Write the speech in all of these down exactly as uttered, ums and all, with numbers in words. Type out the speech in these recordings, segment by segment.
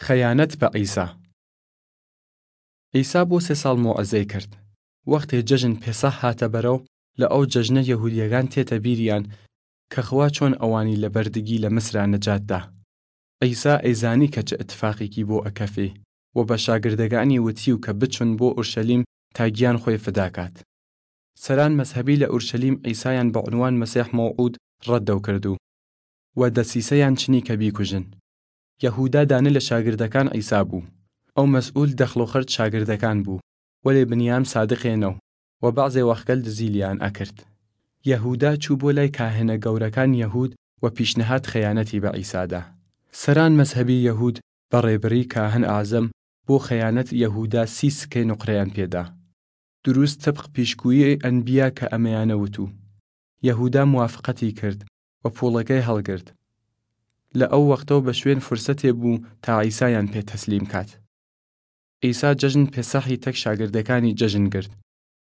خەیانەت بە عیسا. عیسا بۆ سێ ساڵ موعزەی کرد. وەختێ جەژن پێسەح هاتە بەرەو، لە ئەو جەژنە یەهودیەگان تێتە بیریان کە خوا چۆن ئەوانی لە بەردگی لە مسرا نەجات دا. عیسا ئەیزانی کە چ ئتفاقیکی بۆ ئەکەفێ، و بە شاگردەگانی وتیو کە بچون بۆ ئورشەلیم تا گیان خوەی فدا کات. سەران مەزهەبی لە ئورشەلیم عیسایان بە عونوان مەسیح مەوعود ڕەددەو کردو، و دەسیسەیان چنی کە بیکوژن. یەهودا دانە لە شاگردەکان عیسا بوو. ئەو مەسئول دەخڵ و خەرج شاگردەکان بوو، وەلێ بنیام سادقێ نەو، و بەعزێ وەخت گەل دزی لیان ئەکرد. یەهودا چوو بۆ لای کاهنە گەورەکان یەهود و پیشنهاد خەیانەتی بە عیسا دا. سەران مەزهەبی یەهود بە ڕێبری کاهن ئازم بۆ خەیانەت یەهودا سی سکەی نوقرەیان پێدا. دروست تبق پیشگویی ئەنبیا کە ئەمەیانە وتو. یەهودا موافقەتی کرد و پوڵەکەی هەڵگرد. لە ئەو وەختەو بە شوێن فرسەتێ بوو تا عیسایان پێ تەسلیم کات. عیسا جەژن پێسەحی تەک شاگردەکانی جەژن گرد.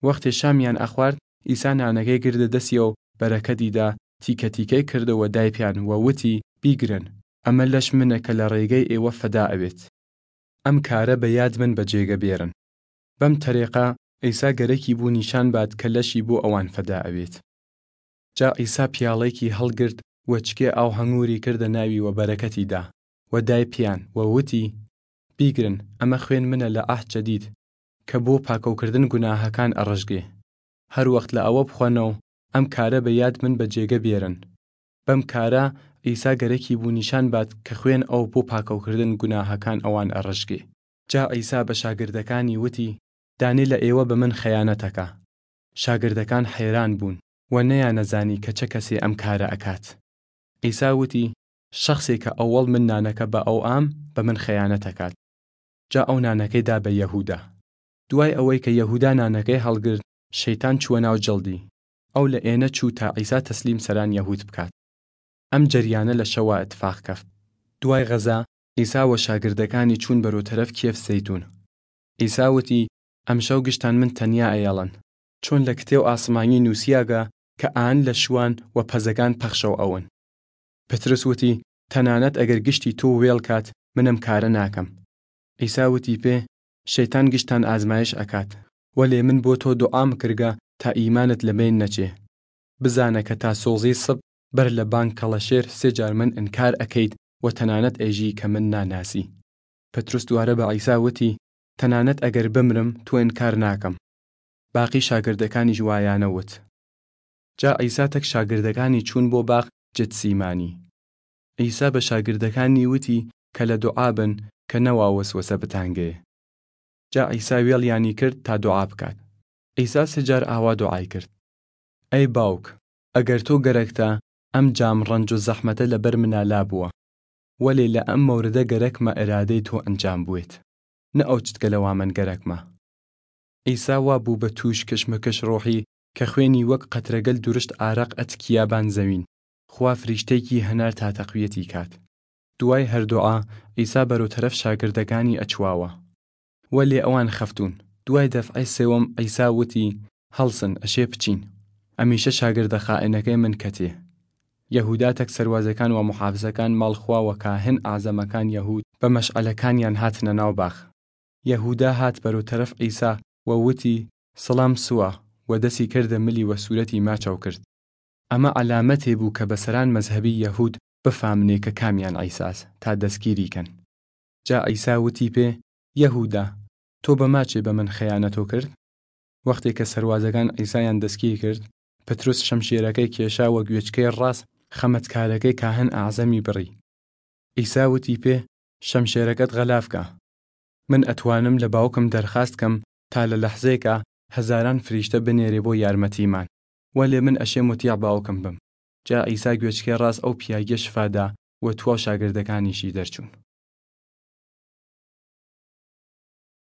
وەختێ شامیان ئەخوارد، عیسا نانەکەی گردە دەسیەوە، بەرەکەتی دا، تیکە تیکەی کردەوە دای پیان و وتی، بیگرن، ئەمە لەش منە کە لە ڕێگەی ئێوە فەدا ئەوێت. ئەم کارە بە یاد من بە جێگە بێرن. بەم تەرێقە عیسا گەرەکی بوو نیشان بات کە لەشی بۆ ئەوان فەدا ئەوێت. جا عیسا پیاڵەیکی هەڵگرد و چکێ ئاو هەنگوری کردە ناوی و بەرەکەتی دا، و دای پیان و وتی، بیگرن، ئەمە خوێن منە لە عەهد جەدید، کە بۆ پاکەوکردن گوناهەکان ئەڕژگێ. هەر وەخت لە ئەوە بخوەنەو، ئەم کارە بە یاد من بە جێگە بێرن. بەم کارە عیسا گەرەکی بوو نیشان بات کە خوێن ئەو بۆ پاکەوکردن گوناهەکان ئەوان ئەڕژگێ. جا عیسا بە شاگردەکانی وتی، دانێ لە ئێوە بە من خەیانەت ئەکا. شاگردەکان حەیران بوون و نەیانەزانی کە چە کەسێ ئەم کارە ئەکات. عیسا وتی، شەخسێ کە ئەوەڵ من نانەکە بە ئەو ئام، بە من خەیانەت ئەکات. جا ئەو نانەکەی دا بە یەهودا. دوای ئەوەی کە یەهودا نانەکەی هەڵگرد، شەیتان چووە ناو جڵدی. ئەو لە ئێنە چوو تا عیسا تەسلیم سەران یەهود بکات. ئەم جەریانە لە شەوا ئتفاق کەفت. دوای غەزا، عیسا و شاگردەکانی چوون بەرەو تەرەف کێف زەیتون. عیسا وتی، ئەمشەو گشتان من تەنیا ئەیەڵن، چۆن لە کتێو ئاسمانی نووسیاگە کە ئان لە شوان و پەزەگان پەخشەو ئەون. پترس وتی، تەنانەت ئەگەر گشتی تو وێڵ کات، من ئەم کارە ناکەم. عیسا وتی پێ، شەیتان گشتان ئازمایش ئەکات، وەلێ من بۆ تۆ دوعام کردگە تا ئیمانت لە بەین نەچێ. بزانە کە تا سۆزی سب بەر لە بانگ کەڵەشێر سێ جار من ئنکار ئەکەیت و تەنانەت ئەیژی کە من ناناسی. پتروس دوارە بە عیسا وتی، تەنانەت ئەگەر بمرم، تو ئنکار ناکەم. باقی شاگردەکانیش وایانە وت. جا عیسا تەک شاگردەکانی چوون بۆ باغ جتسیمانی. عیسا بە شاگردەکانی وتی کە لە دوعا بن کە نەوا وەسوەسە بتانگەێ. جا عیسا وێڵیانی کرد تا دوعا بکات. عیسا سێ جار ئاوا دوعای کرد، ئەی باوک، ئەگەر تۆ گەرەکتە، ئەم جام ڕەنج و زەحمەتە لە بەر منا لا بوە، وەلێ لە ئەم مەورەدە گەرەکمە ئرادەی تۆ ئەنجام بوێت، نە ئەو چتکە لەوا من گەرەکمە. عیسا وا بوو بە تووش کشمکش ڕۆحی کە خوێنی وەک قەترەگەل دورشت ئارەق ئەتکیا بان زەوین. خوا فریشتەیکی هەنار تا تەقویەتی کات. دوای هەر دوعا، عیسا بەرەو تەرەف شاگردەکانی ئەچواوە. وەلێ ئەوان خەفتون. دوای دەفعەی سێوەم عیسا وتی، هەڵسن، ئەشێ بچین. ئەمیشە شاگردە خائنەکەی من کەتێ. یەهودا تەک سەروازەکان و محافزەکان ماڵ خوا و کاهن ئازەمەکان یەهود بە مەشعەلەکانیان هاتنە ناو باخ. یەهودا هات بەرەو تەرەف عیسا و وتی، سڵام سوە، و دەسی کردە ملی و سورەتی ماچەو کرد. ئەمە عەلامەتێ بوو کە بە سەران مەزهەبی یەهود بفامنێ کە کامیان عیساس تا دەسگیری کەن. جا عیسا وتی پێ، یەهودا، تۆ بە ماچێ بە من خەیانەتۆ کرد؟ وەختێ کە سەروازەگان عیسایان دەسگیر کرد، پتروس شەمشێرەکەی کێشا وە گوێچکەی ڕاس خەمەتکارەکەی کاهن ئەعزەمی بڕی. عیسا وتی پێ، شەمشێرەکەت غەلاف کە. من ئەتوانم لە باوکم دەرخاست کەم تا لە لەحزەیکا هەزاران فریشتە بنێرێ بۆ یارمەتیمان، وەلێ من ئەشێ موتیع باوکم بم. جا عیسا گوێچکەی ڕاس ئەو پیاگیە شفا دا و تواو شاگردەکانیشی دەرچوون.